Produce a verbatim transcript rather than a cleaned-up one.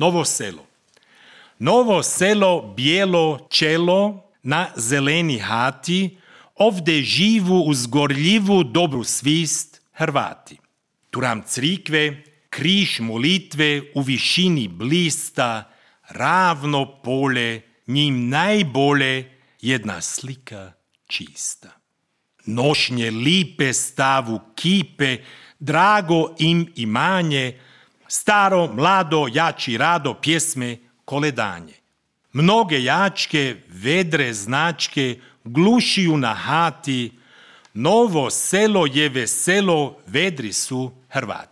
Novo selo. Novo selo, bijelo čelo na zeleni hati, ovdje živu uz gorljivu dobru svist Hrvati. Turam crikve, križ molitve u višini blista, ravno pole, njim najbolje jedna slika čista. Nošnje lipe stavu kipe, drago im imanje, staro, mlado, jači rado, pjesme, koledanje. Mnoge jačke, vedre značke, glušiju na hati, novo selo je veselo, vedri su Hrvati.